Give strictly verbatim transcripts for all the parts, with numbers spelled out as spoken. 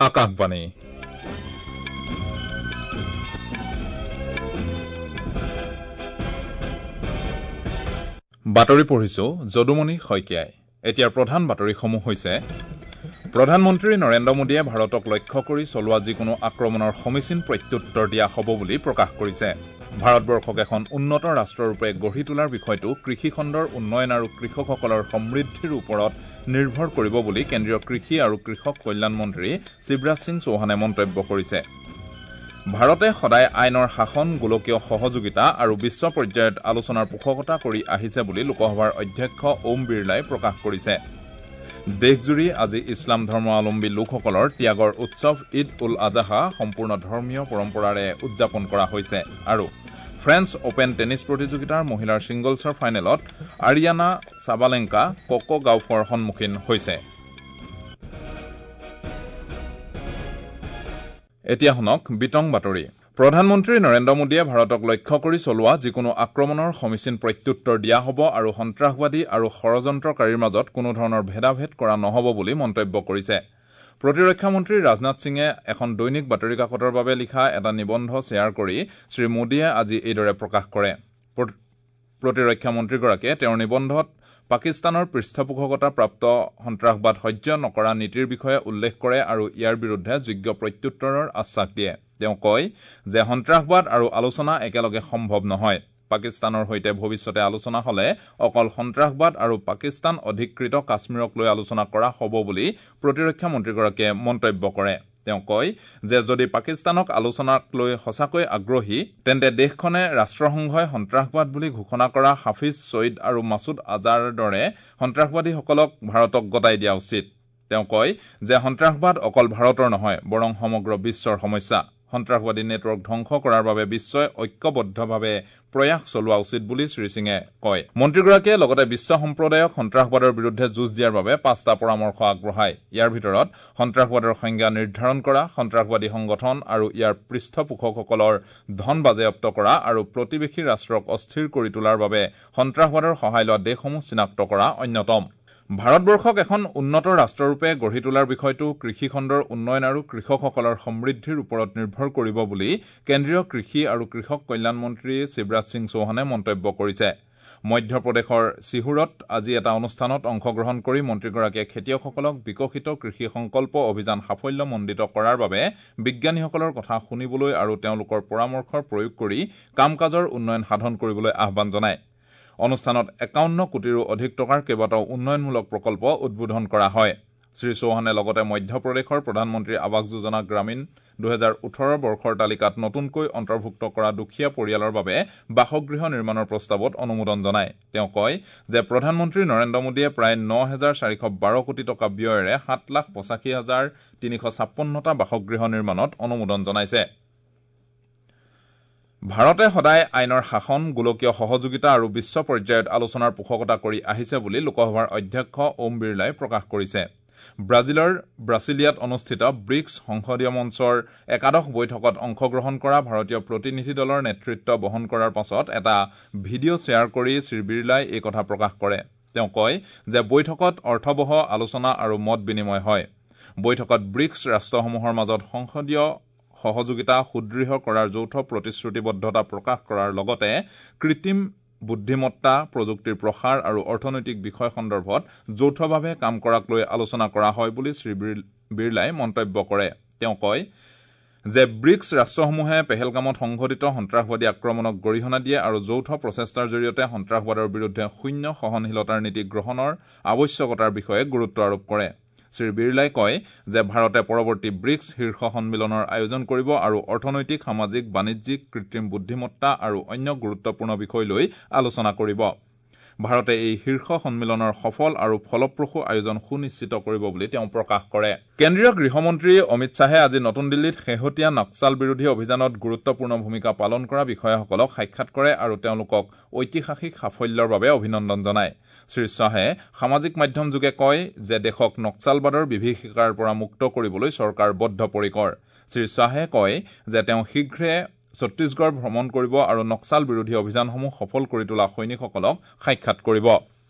আকাশবাণী। বাতৰি পঢ়িছো যদুমণি শইকীয়াই। এতিয়াৰ প্ৰধান বাতৰিসমূহ হৈছে: প্ৰধানমন্ত্ৰী নৰেন্দ্ৰ মোদীয়ে ভাৰতক লক্ষ্য কৰি চলোৱা যিকোনো আক্ৰমণৰ সমীচীন প্ৰত্যুত্তৰ দিয়া হ'ব বুলি প্ৰকাশ কৰিছে। ভাৰতবৰ্ষক এখন উন্নত ৰাষ্ট্ৰৰূপে গঢ়ি তোলাৰ বিষয়টো কৃষিখণ্ডৰ উন্নয়ন আৰু কৃষকসকলৰ সমৃদ্ধিৰ ওপৰত নিৰ্ভৰ কৰিব বুলি কেন্দ্ৰীয় কৃষি আৰু কৃষক কল্যাণ মন্ত্ৰী শিৱৰাজ সিং চৌহানে মন্তব্য কৰিছে। ভাৰতে সদায় আইনৰ শাসন, গোলকীয় সহযোগিতা আৰু বিশ্ব পৰ্যায়ত আলোচনাৰ পোষকতা কৰি আহিছে বুলি লোকসভাৰ অধ্যক্ষ ওম বিৰলাই প্ৰকাশ কৰিছে। দেশজুৰি আজি ইছলাম ধৰ্মাৱলম্বী লোকসকলৰ ত্যাগৰ উৎসৱ ঈদ উল আজহা সম্পূৰ্ণ ধৰ্মীয় পৰম্পৰাৰে উদযাপন কৰা হৈছে। আৰু ফ্ৰেঞ্চ অপেন টেনিছ প্ৰতিযোগিতাৰ মহিলাৰ ছিংগলছৰ ফাইনেলত আৰিয়ানা চাবালেংকা ক'ক' গাউফৰ সন্মুখীন হৈছে। এতিয়া শুনক বিতং বাতৰি। প্ৰধানমন্ত্ৰী নৰেন্দ্ৰ মোদীয়ে ভাৰতক লক্ষ্য কৰি চলোৱা যিকোনো আক্ৰমণৰ সমীচীন প্ৰত্যুত্তৰ দিয়া হ'ব আৰু সন্ত্ৰাসবাদী আৰু ষড়যন্ত্ৰকাৰীৰ মাজত কোনো ধৰণৰ ভেদাভেদ কৰা নহ'ব বুলি মন্তব্য কৰিছে। প্ৰতিৰক্ষা মন্ত্ৰী ৰাজনাথ সিঙে এখন দৈনিক বাতৰি কাকতৰ বাবে লিখা এটা নিবন্ধ শ্বেয়াৰ কৰি শ্ৰীমোদীয়ে আজি এইদৰে প্ৰকাশ কৰে। প্ৰতিৰক্ষা মন্ত্ৰীগৰাকীয়ে তেওঁৰ নিবন্ধত পাকিস্তানৰ পৃষ্ঠপোষকতা প্ৰাপ্ত সন্ত্ৰাসবাদ সহ্য নকৰা নীতিৰ বিষয়ে উল্লেখ কৰে আৰু ইয়াৰ বিৰুদ্ধে যোগ্য প্ৰত্যুত্তৰৰ আশ্বাস দিয়ে। তেওঁ কয় যে সন্ত্ৰাসবাদ আৰু আলোচনা একেলগে সম্ভৱ নহয়। পাকিস্তানৰ সৈতে ভৱিষ্যতে আলোচনা হলে অকল সন্ত্ৰাসবাদ আৰু পাকিস্তান অধিকৃত কাশ্মীৰক লৈ আলোচনা কৰা হ'ব বুলি প্ৰতিৰক্ষা মন্ত্ৰীগৰাকীয়ে মন্তব্য কৰে। তেওঁ কয় যে যদি পাকিস্তানক আলোচনাক লৈ সঁচাকৈ আগ্ৰহী তেন্তে দেশখনে ৰাষ্ট্ৰসংঘই সন্ত্ৰাসবাদ বুলি ঘোষণা কৰা হাফিজ ছঈদ আৰু মাছুদ আজাৰৰ দৰে সন্ত্ৰাসবাদীসকলক ভাৰতক গতাই দিয়া উচিত। তেওঁ কয় যে সন্ত্ৰাসবাদ অকল ভাৰতৰ নহয়, বৰং সমগ্ৰ বিশ্বৰ সমস্যা। সন্ত্ৰাসবাদী নেটৱৰ্ক ধ্বংস কৰাৰ বাবে বিশ্বই ঐক্যবদ্ধভাৱে প্ৰয়াস চলোৱা উচিত বুলি শ্ৰীসিঙে কয়। মন্ত্ৰীগৰাকীয়ে লগতে বিশ্ব সম্প্ৰদায়ক সন্ত্ৰাসবাদৰ বিৰুদ্ধে যুঁজ দিয়াৰ বাবে পাঁচটা পৰামৰ্শ আগবঢ়ায়। ইয়াৰ ভিতৰত সন্ত্ৰাসবাদৰ সংজ্ঞা নিৰ্ধাৰণ কৰা, সন্ত্ৰাসবাদী সংগঠন আৰু ইয়াৰ পৃষ্ঠপোষকসকলৰ ধন বাজেয়াপ্ত কৰা আৰু প্ৰতিবেশী ৰাষ্ট্ৰক অস্থিৰ কৰি তোলাৰ বাবে সন্ত্ৰাসবাদৰ সহায় লোৱা দেশসমূহ চিনাক্ত কৰা অন্যতম। ভাৰতবৰ্ষক এখন উন্নত ৰাষ্ট্ৰৰূপে গঢ়ি তোলাৰ বিষয়টো কৃষিখণ্ডৰ উন্নয়ন আৰু কৃষকসকলৰ সমৃদ্ধিৰ ওপৰত নিৰ্ভৰ কৰিব বুলি কেন্দ্ৰীয় কৃষি আৰু কৃষক কল্যাণ মন্ত্ৰী শিৱৰাজ সিং চৌহানে মন্তব্য কৰিছে। মধ্যপ্ৰদেশৰ চিহুৰত আজি এটা অনুষ্ঠানত অংশগ্ৰহণ কৰি মন্ত্ৰীগৰাকীয়ে খেতিয়কসকলক বিকশিত কৃষি সংকল্প অভিযান সাফল্যমণ্ডিত কৰাৰ বাবে বিজ্ঞানীসকলৰ কথা শুনিবলৈ আৰু তেওঁলোকৰ পৰামৰ্শৰ প্ৰয়োগ কৰি কাম কাজৰ উন্নয়ন সাধন কৰিবলৈ আহ্বান জনায়। অনুষ্ঠানত একাৱন্ন কোটিৰো অধিক টকাৰ কেইবাটাও উন্নয়নমূলক প্ৰকল্প উদ্বোধন কৰা হয়। শ্ৰীচৌহানে লগতে মধ্যপ্ৰদেশৰ প্ৰধানমন্ত্ৰী আৱাস যোজনা গ্ৰামীণ দুহেজাৰ ওঠৰ বৰ্ষৰ তালিকাত নতুনকৈ অন্তৰ্ভুক্ত কৰা দুখীয়া পৰিয়ালৰ বাবে বাসগৃহ নিৰ্মাণৰ প্ৰস্তাৱত অনুমোদন জনায়। তেওঁ কয় যে প্ৰধানমন্ত্ৰী নৰেন্দ্ৰ মোদীয়ে প্ৰায় ন হেজাৰ চাৰিশ বাৰ কোটি টকা ব্যয়েৰে সাত লাখ পঁচাশী হাজাৰ তিনিশ ছাপন্নটা বাসগৃহ নিৰ্মাণত অনুমোদন জনাইছে। ভাৰতে সদায় আইনৰ শাসন, গোলকীয় সহযোগিতা আৰু বিশ্ব পৰ্যায়ত আলোচনাৰ পোষকতা কৰি আহিছে বুলি লোকসভাৰ অধ্যক্ষ ওম বিৰলাই প্ৰকাশ কৰিছে। ব্ৰাজিলৰ ব্ৰাছিলিয়াত অনুষ্ঠিত ব্ৰিক্স সংসদীয় মঞ্চৰ একাদশ বৈঠকত অংশগ্ৰহণ কৰা ভাৰতীয় প্ৰতিনিধি দলৰ নেতৃত্ব বহন কৰাৰ পাছত এটা ভিডিঅ' শ্বেয়াৰ কৰি শ্ৰীবিৰলাই এই কথা প্ৰকাশ কৰে। তেওঁ কয় যে বৈঠকত অৰ্থৱহ আলোচনা আৰু মত বিনিময় হয়। বৈঠকত ব্ৰিক্স ৰাষ্ট্ৰসমূহৰ মাজত সংসদীয় সহযোগিতা সুদৃঢ় কৰাৰ যৌথ প্ৰতিশ্ৰুতিবদ্ধতা প্ৰকাশ কৰাৰ লগতে কৃত্ৰিম বুদ্ধিমত্তা, প্ৰযুক্তিৰ প্ৰসাৰ আৰু অৰ্থনৈতিক বিষয় সন্দৰ্ভত যৌথভাৱে কাম কৰাক লৈ আলোচনা কৰা হয় বুলি শ্ৰী বিৰলাই মন্তব্য কৰে। তেওঁ কয় যে ব্ৰিক্স ৰাষ্ট্ৰসমূহে পেহেলগামত সংঘটিত সন্ত্ৰাসবাদী আক্ৰমণক গৰিহণা দিয়ে আৰু যৌথ প্ৰচেষ্টাৰ জৰিয়তে সন্ত্ৰাসবাদৰ বিৰুদ্ধে শূন্য সহনশীলতাৰ নীতি গ্ৰহণৰ আৱশ্যকতাৰ বিষয়ে গুৰুত্ব আৰোপ কৰে। শ্ৰী বিৰলাই কয় যে ভাৰতে পৰৱৰ্তী ব্ৰিক্স শীৰ্ষ সন্মিলনৰ আয়োজন কৰিব আৰু অৰ্থনৈতিক, সামাজিক, বাণিজ্যিক, কৃত্ৰিম বুদ্ধিমত্তা আৰু অন্য গুৰুত্বপূৰ্ণ বিষয় লৈ আলোচনা কৰিব। ভাৰতে এই শীৰ্ষ সন্মিলনৰ সফল আৰু ফলপ্ৰসূ আয়োজন সুনিশ্চিত কৰিব বুলি তেওঁ প্ৰকাশ কৰে। কেন্দ্ৰীয় গৃহমন্ত্ৰী অমিত শ্বাহে আজি নতুন দিল্লীত শেহতীয়া নক্সাল বিৰোধী অভিযানত গুৰুত্বপূৰ্ণ ভূমিকা পালন কৰা বিষয়াসকলক সাক্ষাৎ কৰে আৰু তেওঁলোকক ঐতিহাসিক সাফল্যৰ বাবে অভিনন্দন জনায়। শ্ৰী শ্বাহে সামাজিক মাধ্যমযোগে কয় যে দেশক নক্সালবাদৰ বিভীষিকাৰ পৰা মুক্ত কৰিবলৈ চৰকাৰ বদ্ধপৰিকৰ। শ্ৰী শ্বাহে কয় যে তেওঁ শীঘ্ৰে ছত্তীশগড় ভ্ৰমণ কৰিব আৰু নক্সাল বিৰোধী অভিযানসমূহ সফল কৰি তোলা সৈনিকসকলক সাক্ষাৎ কৰিব।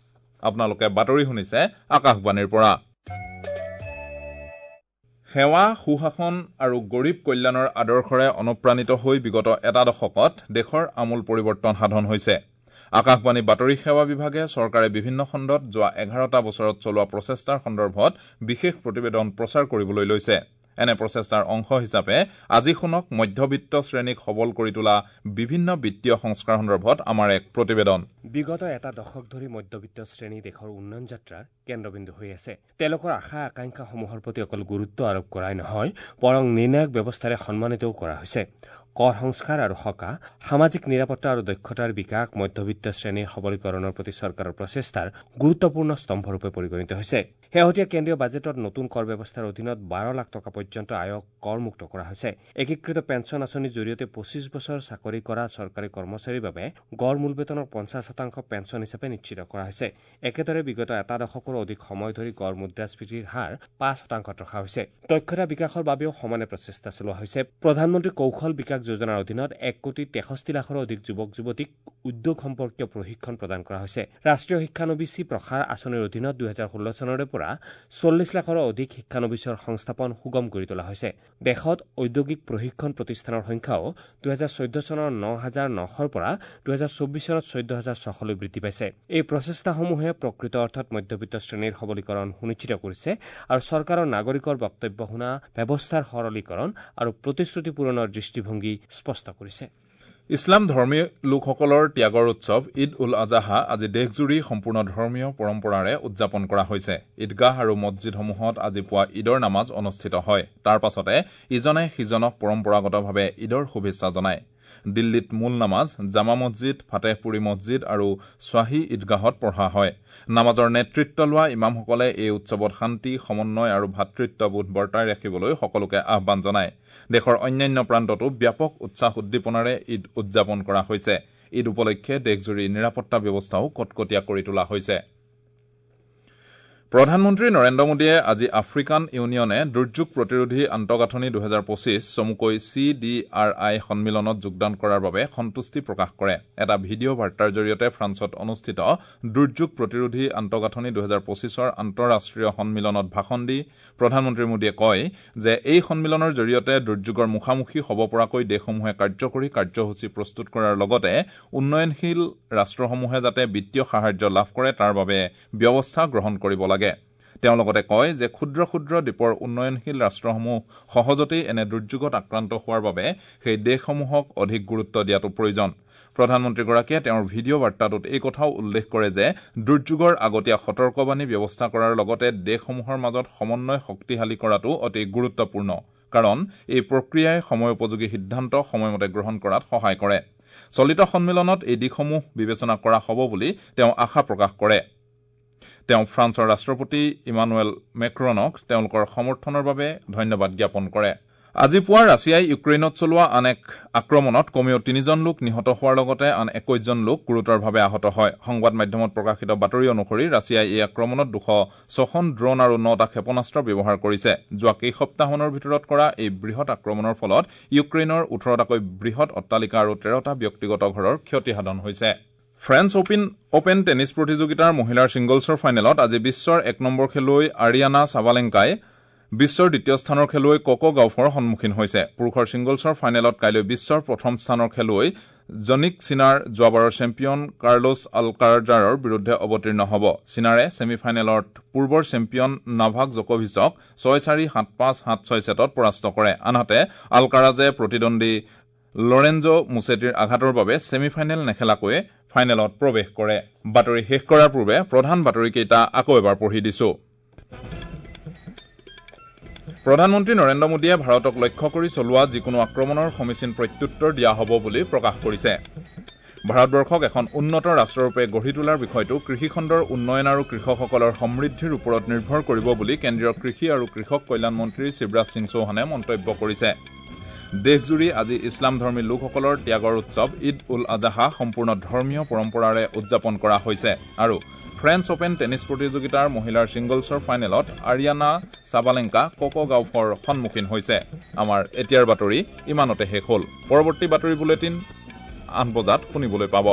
আপোনালোকে বাতৰি শুনিছে আকাশবাণীৰ পৰা। সেৱা, সুশাসন আৰু গৰীব কল্যাণৰ আদৰ্শৰে অনুপ্ৰাণিত হৈ বিগত এটা দশকত দেশৰ আমূল পৰিৱৰ্তন সাধন হৈছে। আকাশবাণী বাতৰি সেৱা বিভাগে চৰকাৰে বিভিন্ন খণ্ডত যোৱা এঘাৰটা বছৰত চলোৱা প্ৰচেষ্টাৰ সন্দৰ্ভত বিশেষ প্ৰতিবেদন প্ৰচাৰ কৰিবলৈ লৈছে। এনে প্ৰচেষ্টাৰ অংশ হিচাপে আজি শুনক মধ্যবিত্ত শ্ৰেণীক সবল কৰি তোলা বিভিন্ন বিত্তীয় সংস্কাৰ সন্দৰ্ভত আমাৰ এক প্ৰতিবেদন। বিগত এটা দশক ধৰি মধ্যবিত্ত শ্ৰেণী দেশৰ উন্নয়ন যাত্ৰাৰ কেন্দ্ৰবিন্দু হৈ আছে। তেওঁলোকৰ আশা আকাংক্ষাসমূহৰ প্ৰতি অকল গুৰুত্ব আৰোপ কৰাই নহয়, বৰং নিৰ্ণায়ক ব্যৱস্থাৰে সন্মানিতও কৰা হৈছে। কৰ সংস্কাৰ আৰু সকাহ, সামাজিক নিৰাপত্তা আৰু দক্ষতাৰ বিকাশ মধ্যবিত্ত শ্ৰেণীৰ সবলীকৰণৰ প্ৰতি চৰকাৰৰ প্ৰচেষ্টাৰ গুৰুত্বপূৰ্ণ স্তম্ভৰূপে পৰিগণিত হৈছে। শেহতীয়া কেন্দ্ৰীয় বাজেটত নতুন কৰ ব্যৱস্থাৰ অধীনত বাৰ লাখ টকা পৰ্যন্ত আয়ক কৰমুক্ত কৰা হৈছে। একীকৃত পেঞ্চন আঁচনিৰ জৰিয়তে পঁচিছ বছৰ চাকৰি কৰা চৰকাৰী কৰ্মচাৰীৰ বাবে গড় মূল বেতনৰ পঞ্চাছ শতাংশ পেঞ্চন হিচাপে নিশ্চিত কৰা হৈছে। একেদৰে বিগত এটা দশকৰো অধিক সময় ধৰি গড় মুদ্ৰাস্ফীতিৰ হাৰ পাঁচ শতাংশত ৰখা হৈছে। দক্ষতা বিকাশৰ বাবেও সমানে প্ৰচেষ্টা চলোৱা হৈছে। প্ৰধানমন্ত্ৰী কৌশল বিকাশ যোজনাৰ অধীনত এক কোটি তেষষ্ঠি লাখৰো অধিক যুৱক যুৱতীক উদ্যোগ সম্পৰ্কীয় প্ৰশিক্ষণ প্ৰদান কৰা হৈছে। ৰাষ্ট্ৰীয় শিক্ষানবিচী প্ৰসাৰ আঁচনিৰ অধীনত দুহেজাৰ ষোল্ল চনৰে পৰা চল্লিছ লাখৰো অধিক শিক্ষানবিচৰ সংস্থাপন সুগম কৰি তোলা হৈছে। দেশত ঔদ্যোগিক প্ৰশিক্ষণ প্ৰতিষ্ঠানৰ সংখ্যাও দুহেজাৰ চৈধ্য চনৰ ন হাজাৰ নশৰ পৰা দুহেজাৰ চৌব্বিছ চনত চৈধ্য হাজাৰ ছশলৈ বৃদ্ধি পাইছে। এই প্ৰচেষ্টাসমূহে প্ৰকৃত অৰ্থত মধ্যবিত্ত শ্ৰেণীৰ সবলীকৰণ সুনিশ্চিত কৰিছে আৰু চৰকাৰৰ নাগৰিকৰ বক্তব্য শুনা ব্যৱস্থাৰ সৰলীকৰণ আৰু প্ৰতিশ্ৰুতি পূৰণৰ দৃষ্টিভংগী স্পষ্ট কৰিছে। ইছলাম ধৰ্মী লোকসকলৰ ত্যাগৰ উৎসৱ ঈদ উল আজহা আজি দেশজুৰি সম্পূৰ্ণ ধৰ্মীয় পৰম্পৰাৰে উদযাপন কৰা হৈছে। ঈদগাহ আৰু মছজিদসমূহত আজি পুৱা ঈদৰ নামাজ অনুষ্ঠিত হয়। তাৰ পাছতে ইজনে সিজনক পৰম্পৰাগতভাৱে ঈদৰ শুভেচ্ছা জনায়। দিল্লীত মূল নামাজ জামা মছজিদ, ফাতেহপুৰী মছজিদ আৰু শ্বাহী ঈদগাহত পঢ়া হয়। নামাজৰ নেতৃত্ব লোৱা ইমামসকলে এই উৎসৱত শান্তি, সমন্বয় আৰু ভাতৃত্ববোধ বৰ্তাই ৰাখিবলৈ সকলোকে আহ্বান জনায়। দেশৰ অন্যান্য প্ৰান্ততো ব্যাপক উৎসাহ উদ্দীপনাৰে ঈদ উদযাপন কৰা হৈছে। ঈদ উপলক্ষে দেশজুৰি নিৰাপত্তা ব্যৱস্থাও কটকটীয়া কৰি তোলা হৈছে। প্ৰধানমন্ত্ৰী নৰেন্দ্ৰ মোদীয়ে আজি আফ্ৰিকান ইউনিয়নে দুৰ্যোগ প্ৰতিৰোধী আন্তঃগাঁথনি দুহেজাৰ পঁচিছ চমুকৈ চি ডি আৰ I সন্মিলনত যোগদান কৰাৰ বাবে সন্তুষ্টি প্ৰকাশ কৰে। এটা ভিডিঅ' বাৰ্তাৰ জৰিয়তে ফ্ৰান্সত অনুষ্ঠিত দুৰ্যোগ প্ৰতিৰোধী আন্তঃগাঁথনি দুহেজাৰ পঁচিছৰ আন্তঃৰাষ্ট্ৰীয় সন্মিলনত ভাষণ দি প্ৰধানমন্ত্ৰী মোদীয়ে কয় যে এই সন্মিলনৰ জৰিয়তে দুৰ্যোগৰ মুখামুখি হ'ব পৰাকৈ দেশসমূহে কাৰ্যকৰী কাৰ্যসূচী প্ৰস্তুত কৰাৰ লগতে উন্নয়নশীল ৰাষ্ট্ৰসমূহে যাতে বিত্তীয় সাহায্য লাভ কৰে তাৰ বাবে ব্যৱস্থা গ্ৰহণ কৰিব লাগে। তেওঁ লগতে কয় যে ক্ষুদ্ৰ ক্ষুদ্ৰ দ্বীপৰ উন্নয়নশীল ৰাষ্ট্ৰসমূহ সহজতেই এনে দুৰ্যোগত আক্ৰান্ত হোৱাৰ বাবে সেই দেশসমূহক অধিক গুৰুত্ব দিয়াটো প্ৰয়োজন। প্ৰধানমন্ত্ৰীগৰাকীয়ে তেওঁৰ ভিডিঅ' বাৰ্তাটোত এই কথাও উল্লেখ কৰে যে দুৰ্যোগৰ আগতীয়া সতৰ্কবাণী ব্যৱস্থা কৰাৰ লগতে দেশসমূহৰ মাজত সমন্বয় শক্তিশালী কৰাটো অতি গুৰুত্বপূৰ্ণ, কাৰণ এই প্ৰক্ৰিয়াই সময়োপযোগী সিদ্ধান্ত সময়মতে গ্ৰহণ কৰাত সহায় কৰে। চলিত সন্মিলনত এই দিশসমূহ বিবেচনা কৰা হ'ব বুলি তেওঁ আশা প্ৰকাশ কৰে। তেওঁ ফ্ৰান্সৰ ৰাষ্ট্ৰপতি ইমানুৱেল মেক্ৰনক তেওঁলোকৰ সমৰ্থনৰ বাবে ধন্যবাদ জ্ঞাপন কৰে। আজি পুৱা ৰাছিয়াই ইউক্ৰেইনত চলোৱা আন এক আক্ৰমণত কমেও তিনিজন লোক নিহত হোৱাৰ লগতে আন একৈশজন লোক গুৰুতৰভাৱে আহত হয়। সংবাদ মাধ্যমত প্ৰকাশিত বাতৰি অনুসৰি ৰাছিয়াই এই আক্ৰমণত দুশ ছখন ড্ৰোন আৰু নটা ক্ষেপণাস্ত্ৰ ব্যৱহাৰ কৰিছে। যোৱা কেইসপ্তাহমানৰ ভিতৰত কৰা এই বৃহৎ আক্ৰমণৰ ফলত ইউক্ৰেইনৰ ওঠৰটাকৈ বৃহৎ অট্টালিকা আৰু তেৰটা ব্যক্তিগত ঘৰৰ ক্ষতিসাধন হৈছে। ফ্ৰেঞ্চ অপেন অপেন টেনিছ প্ৰতিযোগিতাৰ মহিলাৰ ছিংগলছৰ ফাইনেলত আজি বিশ্বৰ এক নম্বৰ খেলুৱৈ আৰিয়ানা চাবালেংকাই বিশ্বৰ দ্বিতীয় স্থানৰ খেলুৱৈ ককো গাউফৰ সন্মুখীন হৈছে। পুৰুষৰ ছিংগলছৰ ফাইনেলত কাইলৈ বিশ্বৰ প্ৰথম স্থানৰ খেলুৱৈ জনিক চিনাৰ যোৱাবাৰৰ চেম্পিয়ন কাৰ্লোছ আলকাৰাজৰ বিৰুদ্ধে অৱতীৰ্ণ হ'ব। চিনাৰে ছেমি ফাইনেলত পূৰ্বৰ চেম্পিয়ন নাভাক জকোভিচক ছয় চাৰি, সাত পাঁচ, সাত ছয় ছেটত পৰাস্ত কৰে। আনহাতে আলকাৰাজে প্ৰতিদ্বন্দ্বী লৰেঞ্জো মুছেটিৰ আঘাতৰ বাবে ছেমি ফাইনেল নেখেলাকৈয়ে ফাইনেলত প্ৰৱেশ কৰে। বাতৰি শেষ কৰাৰ পূৰ্বে প্ৰধান বাতৰিকেইটা আকৌ এবাৰ পঢ়ি দিছো। প্ৰধানমন্ত্ৰী নৰেন্দ্ৰ মোদীয়ে ভাৰতক লক্ষ্য কৰি চলোৱা যিকোনো আক্ৰমণৰ সমীচীন প্ৰত্যুত্তৰ দিয়া হ'ব বুলি প্ৰকাশ কৰিছে। ভাৰতবৰ্ষক এখন উন্নত ৰাষ্ট্ৰৰূপে গঢ়ি তোলাৰ বিষয়টো কৃষিখণ্ডৰ উন্নয়ন আৰু কৃষকসকলৰ সমৃদ্ধিৰ ওপৰত নিৰ্ভৰ কৰিব বুলি কেন্দ্ৰীয় কৃষি আৰু কৃষক কল্যাণ মন্ত্ৰী শিৱৰাজ সিং চৌহানে মন্তব্য কৰিছে। দেশজুৰি আজি ইছলাম ধৰ্মী লোকসকলৰ ত্যাগৰ উৎসৱ ঈদ উল আজহা সম্পূৰ্ণ ধৰ্মীয় পৰম্পৰাৰে উদযাপন কৰা হৈছে। আৰু ফ্ৰেঞ্চ অপেন টেনিছ প্ৰতিযোগিতাৰ মহিলাৰ ছিংগলছৰ ফাইনেলত আৰিয়ানা চাবালেংকা ককো গাউফৰ সন্মুখীন হৈছে। আমাৰ এতিয়াৰ বাতৰি ইমানতে শেষ হ'ল। পৰৱৰ্তী বাতৰি বুলেটিন আঠ বজাত শুনিবলৈ পাব।